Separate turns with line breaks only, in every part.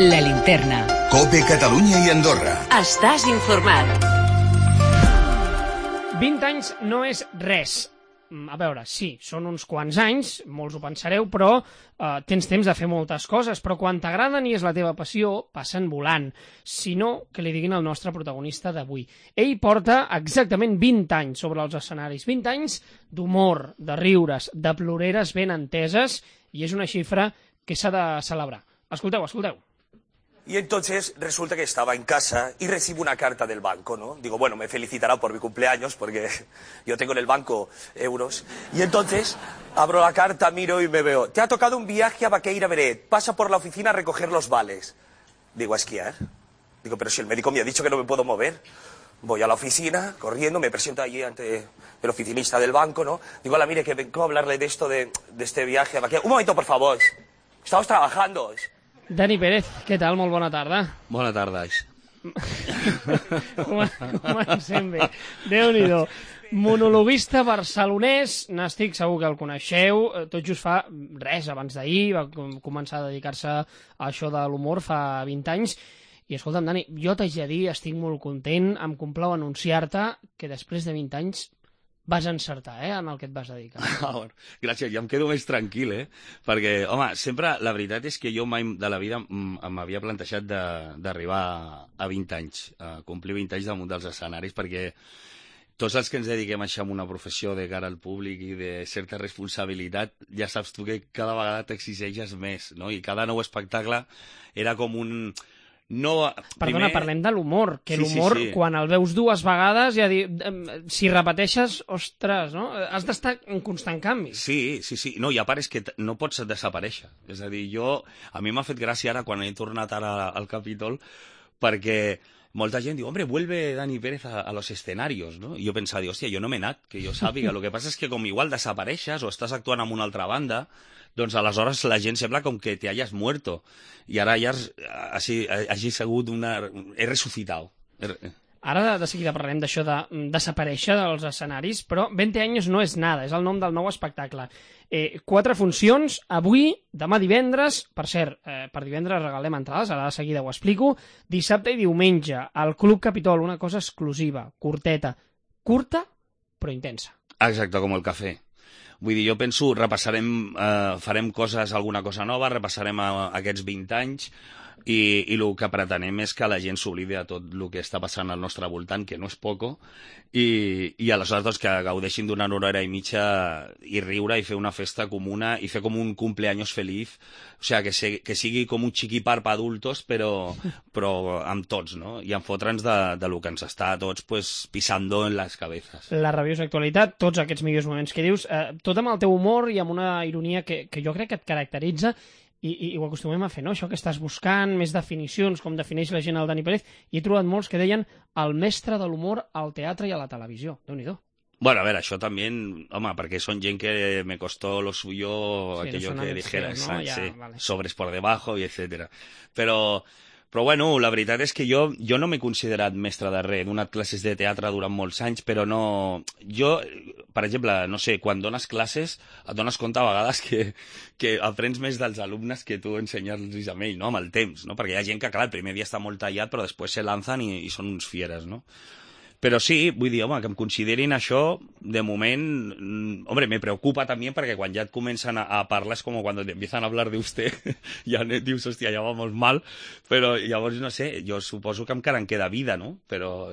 La Linterna.
COPE Catalunya i Andorra.
Estàs informat.
20 anys no és res. A veure, sí, són uns quants anys, molts ho pensareu, però tens temps de fer moltes coses, però quan t'agraden i és la teva passió, passen volant. Si no, que li diguin al nostre protagonista d'avui. Ell porta exactament 20 anys sobre els escenaris, 20 anys d'humor, de riures, de ploreres ben enteses, i és una xifra que s'ha de celebrar. Escolteu, escolteu.
Y entonces resulta que estaba en casa y recibo una carta del banco, ¿no? Digo, bueno, me felicitará por mi cumpleaños porque yo tengo en el banco euros. Y entonces abro la carta, miro y me veo, te ha tocado un viaje a Baqueira Beret, pasa por la oficina a recoger los vales. Digo, ¿a esquiar? Digo, pero si el médico me ha dicho que no me puedo mover. Voy a la oficina, corriendo, me presento allí ante el oficinista del banco, ¿no? Digo, hola, mire, que vengo a hablarle de esto, de este viaje a Baqueira. Un momento, por favor. Estamos trabajando.
Dani Pérez, què tal? Molt bona tarda.
Bona tarda.
Comencem bé. Déu-n'hi-do. Monologuista barcelonès, n'estic segur que el coneixeu, tot just fa res, abans d'ahir, va començar a dedicar-se a això de l'humor fa 20 anys, i escolta'm, Dani, jo t'haig de dir, estic molt content, em complau anunciar-te que després de 20 anys vas encertar, en el que et vas dedicar.
Bueno, gràcies, ja em quedo més tranquil, perquè, home, sempre, la veritat és que jo mai de la vida m'havia plantejat d'arribar a 20 anys, a complir 20 anys damunt dels escenaris, perquè tots els que ens dediquem a això amb una professió de cara al públic i de certa responsabilitat, ja saps tu que cada vegada t'exigeixes més, no? I cada nou espectacle era com un... No,
perdona, parlem de l'humor, que l'humor,
sí.
Quan el veus dues vegades, ja si repeteixes, ostres, no? Has d'estar en constant canvi.
Sí. No, i a part és que no pots desaparèixer. És a dir, a mi m'ha fet gràcia ara quan he tornat ara al Capítol, perquè molta gent diu, hombre, vuelve Dani Pérez a los escenarios, ¿no? I jo pensava, hòstia, jo no m'he anat, que jo sàpiga. Lo que passa és que com igual desapareixes o estàs actuant en una altra banda, doncs aleshores la gent sembla com que te hayas muerto. I ara ja hagi sigut he resucitat.
Ara de seguida parlarem d'això de desaparèixer dels escenaris, però 20 anys no és nada, és el nom del nou espectacle. 4 funcions, avui, demà divendres, per cert, per divendres regalem entrades, ara de seguida ho explico, dissabte i diumenge, al Club Capitol, una cosa exclusiva, curteta, curta però intensa.
Exacte, com el cafè. Vull dir, jo penso, farem alguna cosa nova, repassarem aquests 20 anys i el que pretenem és que la gent s'oblidi de tot el que està passant al nostre voltant, que no és poco, i aleshores doncs, que gaudeixin d'una hora i mitja i riure i fer una festa comuna i fer com un cumpleaños feliz, o sigui, que sigui com un xiquipar per adultos, però amb tots, no? I en fotre'ns de lo que ens està a tots pisando en les cabezas.
La rabiosa actualitat, tots aquests millors moments que dius, tot amb el teu humor i amb una ironia que jo crec que et caracteritza, i ho acostumem a fer, no? Això que estàs buscant, més definicions, com defineix la gent al Dani Pérez, i he trobat molts que deien el mestre de l'humor al teatre i a la televisió. Déu-n'hi-do.
Bueno, a ver, això també, home, perquè són gent que me costó lo suyo, sí, aquello que dijeras, ¿no? Sí, vale. Sobres por debajo y etcétera. Però bueno, la veritat és que jo no m'he considerat mestre de res, he donat classes de teatre durant molts anys, però no... Jo, per exemple, no sé, quan dones classes et dones compte a vegades que aprens més dels alumnes que tu ensenyar-los a ells, no?, amb el temps, no? Perquè hi ha gent que, clar, el primer dia està molt tallat, però després se lanzan i són uns fieres, no? Però sí, vull dir, home, que em considerin això, de moment, hombre, me preocupa també perquè quan ja et comencen a parlar és com quan te empiezan a hablar de usted, ja dius, hòstia, ja vamos mal, però llavors, no sé, jo suposo que encara em queda vida, no? Però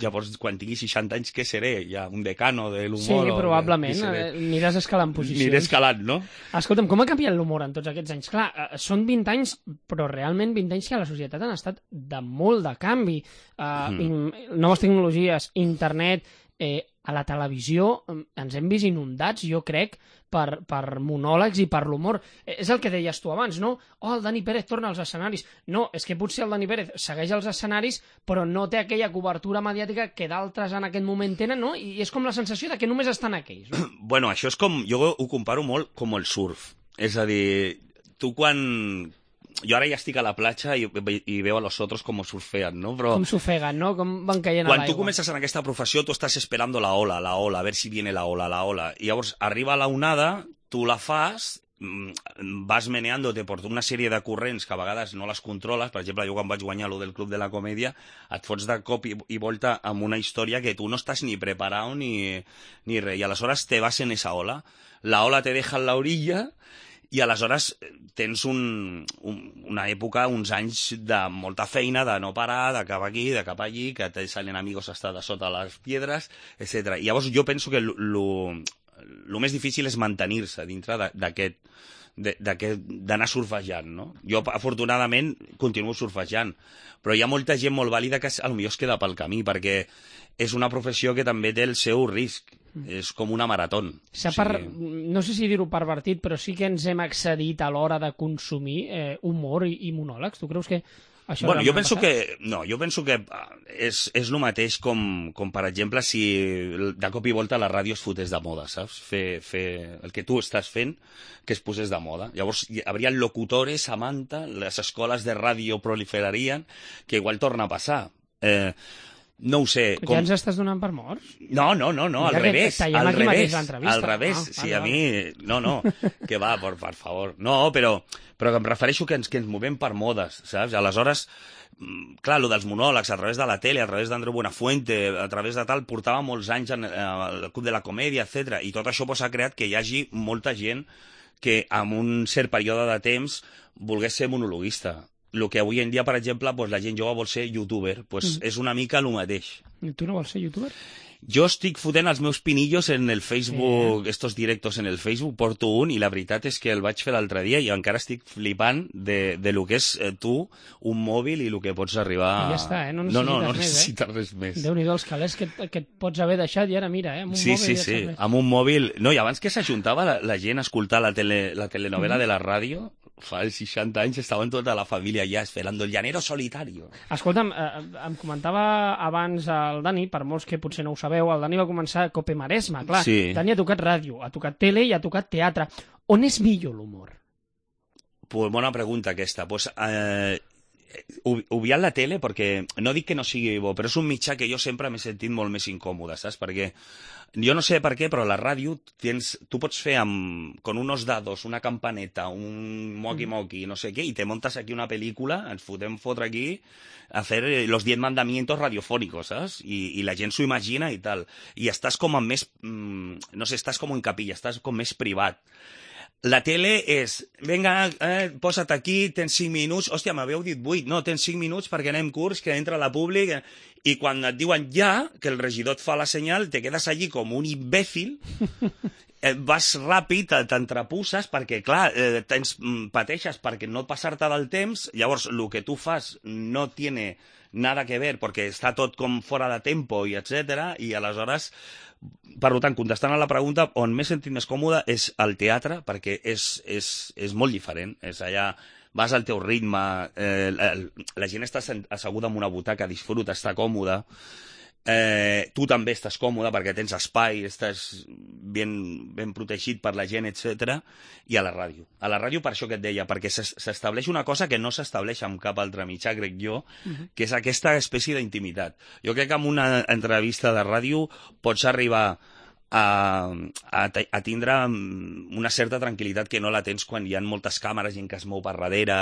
llavors, quan tingui 60 anys, què seré? Ja un decano de l'humor?
Sí, probablement, aniràs escalant posicions.
Aniré escalant, no?
Escolta'm, com ha canviat l'humor en tots aquests anys? Clar, són 20 anys, però realment 20 anys que a la societat han estat de molt de canvi. Noves tecnologies, internet, a la televisió ens hem vist inundats, jo crec, per monòlegs i per l'humor. És el que deies tu abans, no? Oh, el Dani Pérez torna als escenaris. No, és que potser el Dani Pérez segueix als escenaris, però no té aquella cobertura mediàtica que d'altres en aquest moment tenen, no? I és com la sensació de que només estan aquells, no?
Bueno, això és com... Jo ho comparo molt com el surf. És a dir, tu quan... Jo ara ja estic a la platja i veo a los otros com surfean, no? Però
com s'ofeguen, no? Com van caient a l'aigua.
Quan tu comences en aquesta professió, tu estàs esperando la ola, a ver si viene la ola. I llavors arriba la onada, tu la fas vas meneant-te per una sèrie de corrents que a vegades no les controles. Per exemple, jo quan vaig guanyar lo del Club de la Comèdia, et fots de cop i volta amb una història que tu no estàs ni preparat ni res, i aleshores te vas en esa ola. La ola te deja en la orilla i aleshores tens una època, uns anys de molta feina, de no parar, de cap aquí, de cap allí, que te salen amigos hasta de sota les piedres, etc. I llavors jo penso que el més difícil és mantenir-se dintre d'anar surfejant, no? Jo, afortunadament, continuo surfejant, però hi ha molta gent molt vàlida que potser es queda pel camí, perquè és una professió que també té el seu risc. És com una marató.
No sé si dir-ho pervertit, però sí que ens hem excedit a l'hora de consumir humor i monòlegs. Tu creus que això...
Bueno, jo penso que és el mateix com, per exemple, si de cop i volta la ràdio es fotés de moda, saps? Fer el que tu estàs fent, que es posés de moda. Llavors, hi hauria locutores, Samantha, les escoles de ràdio proliferarien, que igual torna a passar. No ho sé.
Ja ens estàs donant per morts?
No, al revés. Al revés. Sí, a mi... No, que va, per favor. No, però em refereixo que ens movem per modes, saps? Aleshores, clar, lo dels monòlegs, a través de la tele, a través d'Andreu Buenafuente, a través de tal, portava molts anys al Club de la Comèdia, etc. I tot això ha creat que hi hagi molta gent que en un cert període de temps volgués ser monologuista. El que avui en dia, per exemple, la gent jove vol ser youtuber, és una mica el mateix.
I tu no vols ser youtuber?
Jo estic fotent els meus pinillos en el Facebook, estos directos en el Facebook, porto un, i la veritat és que el vaig fer l'altre dia i encara estic flipant de lo que és tu, un mòbil i el que pots arribar...
I ja està,
no necessites res més.
Déu-n'hi-do els calés que et pots haver deixat i ara mira, amb un mòbil...
Sí, amb un mòbil... No, i abans que s'ajuntava la gent a escoltar la telenovela de la ràdio, fa 60 anys estaven tota la família ja esperando el llanero solitario.
Escolta'm, em comentava abans el Dani, per molts que potser no ho sabeu, el Dani va començar a Cope Maresme, clar. Sí. Dani ha tocat ràdio, ha tocat tele i ha tocat teatre. On és millor l'humor?
Pues bona pregunta aquesta. Pues, obviant la tele, perquè no dic que no sigui bo, però és un mitjà que jo sempre m'he sentit molt més incòmode, saps? Perquè jo no sé per què, però a la ràdio tu pots fer con unos dados, una campaneta, un moqui-moqui, no sé què, i te montes aquí una pel·lícula, ens fotem fotre aquí a fer los 10 mandamientos radiofónicos, saps? I la gent s'ho imagina i tal. I estàs com més... no sé, estàs com en capilla, estàs com més privat. La tele és, vinga, posa't aquí, tens 5 minuts, hòstia, m'haveu dit 8, no, tens 5 minuts perquè anem curts, que entra la públic, i quan et diuen ja, que el regidor et fa la senyal, te quedes allí com un imbècil, vas ràpid, t'entrepusses, perquè, clar, pateixes perquè no passar-te del temps, llavors, el que tu fas no tiene nada que ver, perquè està tot com fora de tempo, i etcètera, i aleshores... Per tant, contestant a la pregunta, on m'he sentit més còmode és al teatre, perquè és molt diferent. És allà, vas al teu ritme, la gent està asseguda en una butaca, disfruta, està còmoda, tu també estàs còmode perquè tens espai, estàs ben protegit per la gent, etc. I a la ràdio. A la ràdio, per això que et deia, perquè s'estableix una cosa que no s'estableix amb cap altre mitjà, crec jo, que és aquesta espècie d'intimitat. Jo crec que en una entrevista de ràdio pots arribar a tindre una certa tranquil·litat que no la tens quan hi ha moltes càmeres, gent que es mou per darrere,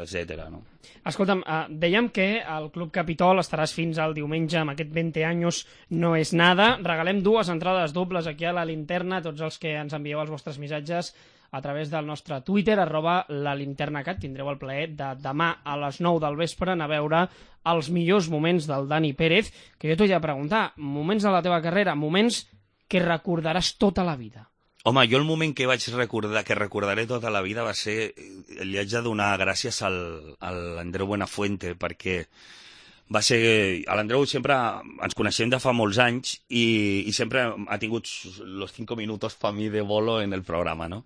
etc. No?
Escolta'm, dèiem que al Club Capitol estaràs fins al diumenge amb aquest 20 anys no és nada. Regalem 2 entrades dobles aquí a la linterna, tots els que ens envieu els vostres missatges a través del nostre Twitter, @lalinternacat. Tindreu el plaer de demà a les 9 del vespre anar a veure els millors moments del Dani Pérez, que jo t'ho he de preguntar, moments de la teva carrera, moments que recordaràs tota la vida.
Home, jo el moment que recordaré tota la vida va ser el viatge de donar gràcies a l'Andreu Buenafuente, perquè va ser... L'Andreu sempre ens coneixem de fa molts anys i sempre ha tingut los 5 minutos pa mi de bolo en el programa, no?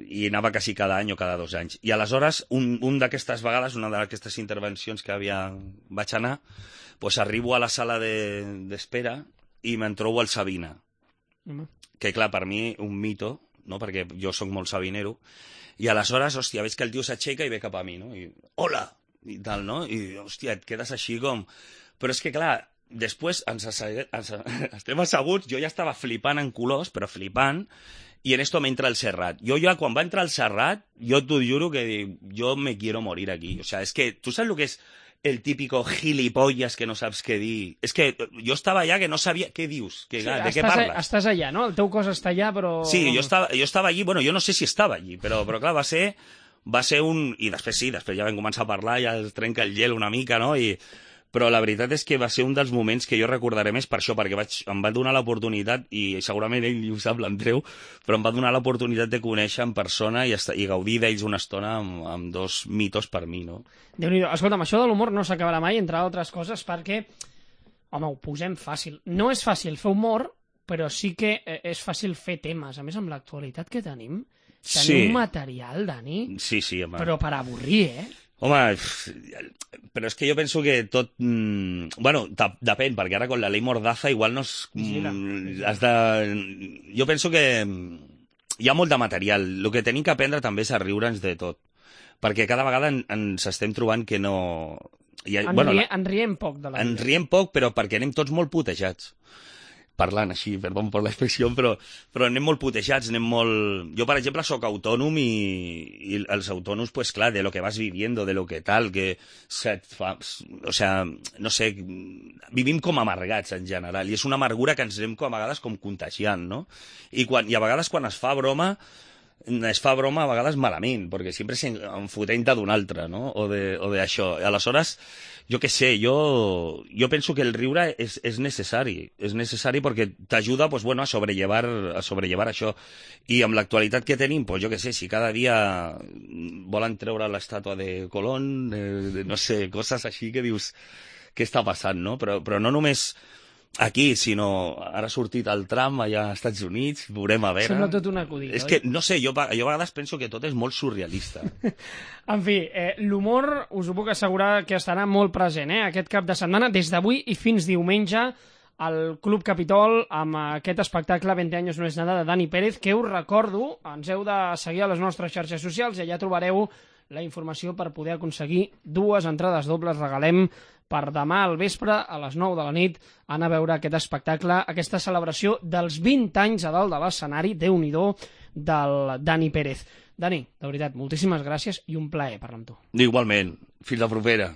I anava quasi cada any o cada 2 anys. I aleshores, un d'aquestes vegades, una d'aquestes intervencions que vaig anar, pues arribo a la sala d'espera i me'n trobo el Sabina. Que, clar, per mi, un mito, no? Perquè jo sóc molt sabinero. I aleshores, hòstia, veig que el tio s'aixeca i ve cap a mi, no? I, hola! I tal, no? I, hòstia, et quedes així com... Però és que, clar, després estem asseguts, jo ja estava flipant en colors, però flipant, i en esto m'entra el Serrat. Jo ja, quan va entrar el Serrat, jo t'ho juro que dic, jo me quiero morir aquí. O sea, es que, ¿tú sabes lo que es el típico gilipollas que no saps què dir? És que jo estava allà que no sabia què dius, de què parles.
Estàs allà, no? El teu cos està allà, però...
Sí, jo estava allí, bueno, jo no sé si estava allí, però clar, va ser un... I després ja vam començar a parlar, ja es trenca el gel una mica, no? Però la veritat és que va ser un dels moments que jo recordaré més per això, perquè em va donar l'oportunitat, i segurament ell ho sap, l'Andreu, però em va donar l'oportunitat de conèixer en persona i gaudir d'ells una estona amb dos mitos per mi, no?
Déu-n'hi-do. Escolta'm, això de l'humor no s'acabarà mai, entre altres coses, perquè, home, ho posem fàcil. No és fàcil fer humor, però sí que és fàcil fer temes. A més, amb l'actualitat que tenim un material, Dani,
home.
Però per avorrir,
Home, però és que jo penso que tot... Bueno, depèn, perquè ara con la ley Mordaza igual no és... Jo penso que hi ha molt de material. El que tenim que aprendre també és a riure'ns de tot. Perquè cada vegada ens estem trobant que no...
En riem poc de la vida.
En riem poc, però perquè anem tots molt putejats. Parlant així, perdó per l'expressió, però anem molt putejats, anem molt... Jo, per exemple, sóc autònom i els autònoms, pues clar, de lo que vas viviendo, de lo que tal, que o sea, no sé, vivim com amargats en general, i és una amargura que ens anem a vegades com contagiant, no? I a vegades quan es fa broma a vegades malament, perquè sempre en fotent d'un altre, no? O d'això. Aleshores, jo què sé, jo penso que el riure és necessari perquè t'ajuda pues, bueno, a sobrellevar això. I amb l'actualitat que tenim, pues, jo què sé, si cada dia volen treure l'estàtua de Colón, no sé, coses així que dius, què està passant, no? Però no només aquí, sinó ara ha sortit el Trump allà als Estats Units, veurem a veure...
Sembla tot un acudit,
és que, no sé, jo a vegades penso que tot és molt surrealista.
En fi, l'humor us ho puc assegurar que estarà molt present, aquest cap de setmana, des d'avui i fins diumenge, al Club Capitol, amb aquest espectacle 20 anys no és nada, de Dani Pérez, que us recordo, ens heu de seguir a les nostres xarxes socials i allà trobareu la informació per poder aconseguir 2 entrades dobles. Regalem per demà al vespre, a les 9 de la nit, anar a veure aquest espectacle, aquesta celebració dels 20 anys a dalt de l'escenari, Déu-n'hi-do, del Dani Pérez. Dani, de veritat, moltíssimes gràcies i un plaer parlar amb tu.
Igualment. Fins la propera.